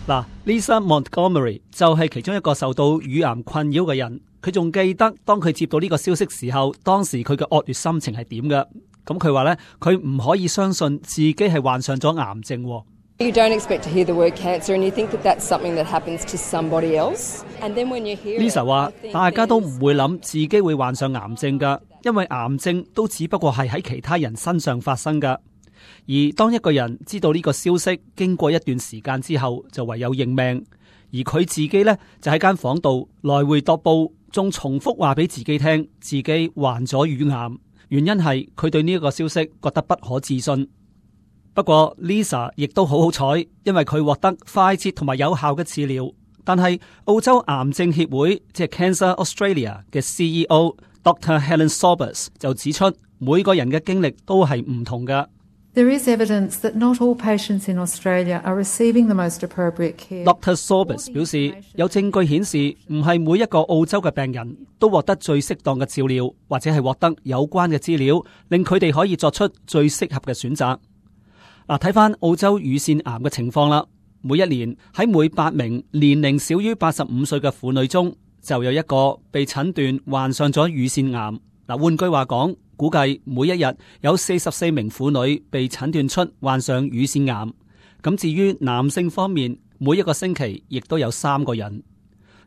嗱，Lisa Montgomery 就係其中一個受到乳癌困擾嘅人。佢仲記得當佢接到呢個消息時候，當時佢嘅惡劣心情係點嘅。咁佢話咧，佢唔可以相信自己係患上咗癌症。You don't expect to hear the word cancer, and you think that that's something that happens to somebody else. And then when you hear Lisa 話，大家都唔會諗自己會患上癌症噶，因為癌症都只不過係喺其他人身上發生噶。而當一個人知道呢個消息，經過一段時間之後，就唯有認命。而佢自己呢，就喺間房度來回踱步，仲重複話俾自己聽，自己患咗乳癌。原因係佢對呢一個消息覺得不可置信。不過 Lisa 亦都好彩，因為佢獲得快捷同埋有效嘅治療。但係澳洲癌症協會即係 Cancer Australia 嘅 CEO Dr. Helen Sorbus 就指出，每個人嘅經歷都係唔同㗎。There is evidence that not all patients in Australia are receiving the most appropriate care. Dr. Sorbus 表示，有證據顯示唔係每一個澳洲嘅病人都獲得最適當嘅照料，或者係獲得有關嘅資料，令佢哋可以作出最適合嘅選擇。嗱，睇翻澳洲乳腺癌嘅情況啦，每一年喺每8名年齡少於85歲嘅婦女中，就有一個被診斷患上咗乳腺癌。嗱，換句話講，估計每一日有44名婦女被診斷出患上乳腺癌。咁至於男性方面，每一個星期亦都有3個人。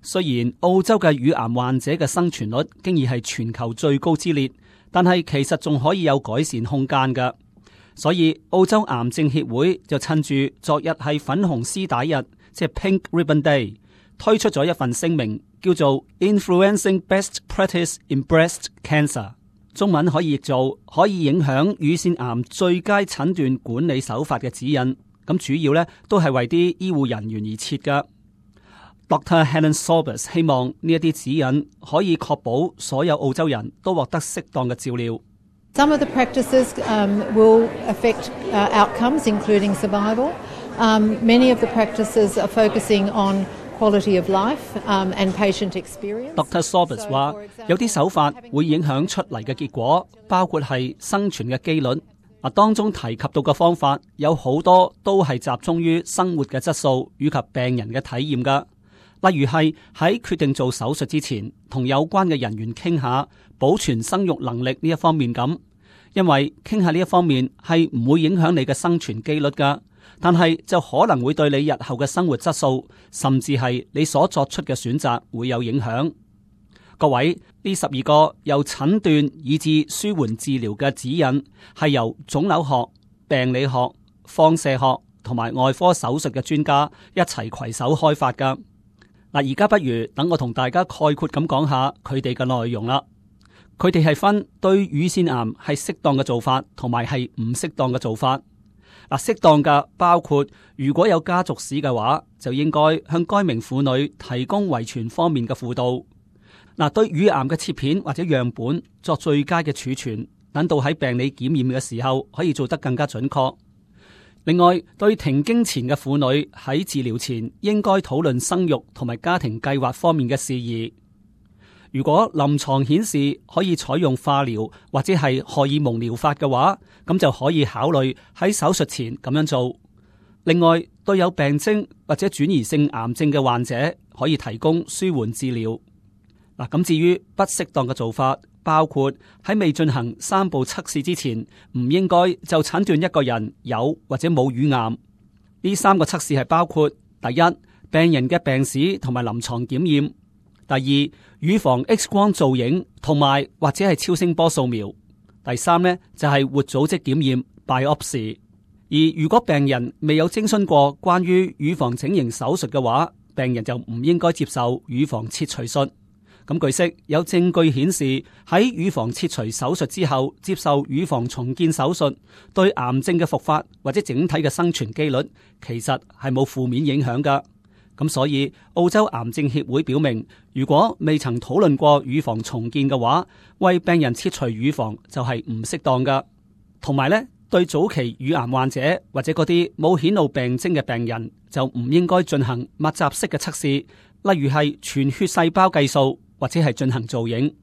雖然澳洲嘅乳癌患者嘅生存率經已係全球最高之列，但係其實仲可以有改善空間㗎。所以澳洲癌症協會就趁住昨日係粉紅絲帶日，即係 Pink Ribbon Day， 推出咗一份聲明，叫做 Influencing Best Practice in Breast Cancer， 中文可以譯做可以影響乳腺癌最佳診斷管理手法嘅指引。咁主要咧都係為啲醫護人員而設㗎。Dr. Helen Sorbus 希望呢一啲指引可以確保所有澳洲人都獲得適當嘅照料。Some of the practices will affect outcomes, including survival. Many of the practices are focusing on quality of life and patient experience. Dr. Sorbus 話，有啲手法會影響出嚟嘅結果，包括係生存嘅機率。當中提及到嘅方法有好多都係集中於生活嘅質素以及病人嘅體驗㗎。例如係喺決定做手術之前，同有關嘅人員傾下保存生育能力呢一方面咁，因為傾下呢一方面係唔會影響你嘅生存機率㗎，但係就可能會對你日後嘅生活質素，甚至係你所作出嘅選擇會有影響。各位，呢12個由診斷以至舒緩治療嘅指引係由腫瘤學、病理學、放射學同埋外科手術嘅專家一齊攜手開發㗎。嗱，而家不如等我同大家概括咁講下佢哋嘅內容啦。佢哋係分對乳腺癌係適當嘅做法，同埋係唔適當嘅做法。嗱，適當嘅包括如果有家族史嘅話，就應該向該名婦女提供遺傳方面嘅輔導。嗱，對乳癌嘅切片或者樣本作最佳嘅儲存，等到喺病理檢驗嘅時候可以做得更加準確。另外，對停經前嘅婦女喺治療前應該討論生育同埋家庭計劃方面嘅事宜。如果臨床顯示可以採用化療或者係荷爾蒙療法嘅話，咁就可以考慮喺手術前咁樣做。另外，對有病徵或者轉移性癌症嘅患者，可以提供舒緩治療。嗱，咁至於不適當嘅做法，包括喺未進行3步測試之前，唔應該就診斷一個人有或者冇乳癌。呢3個測試係包括：第一，病人嘅病史同埋臨床檢驗；第二，乳房 X 光造影同埋或者係超聲波掃描；第三呢，就係活組織檢驗 biopsy。而如果病人未有徵詢過關於乳房整形手術嘅話，病人就唔應該接受乳房切除術。咁據悉，有證據顯示喺乳房切除手術之後接受乳房重建手術，對癌症嘅復發或者整體嘅生存機率其實係冇負面影響㗎。咁所以澳洲癌症協會表明，如果未曾討論過乳房重建嘅話，為病人切除乳房就係唔適當㗎。同埋呢，對早期乳癌患者或者嗰啲冇顯露病徵嘅病人，就唔應該進行密集式嘅測試，例如係全血細胞計數，或者係進行造影。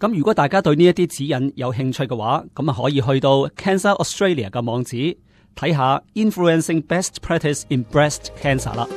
咁如果大家對呢一啲指引有興趣嘅話，咁啊可以去到 Cancer Australia 嘅網址睇下 Influencing Best Practice in Breast Cancer 啦。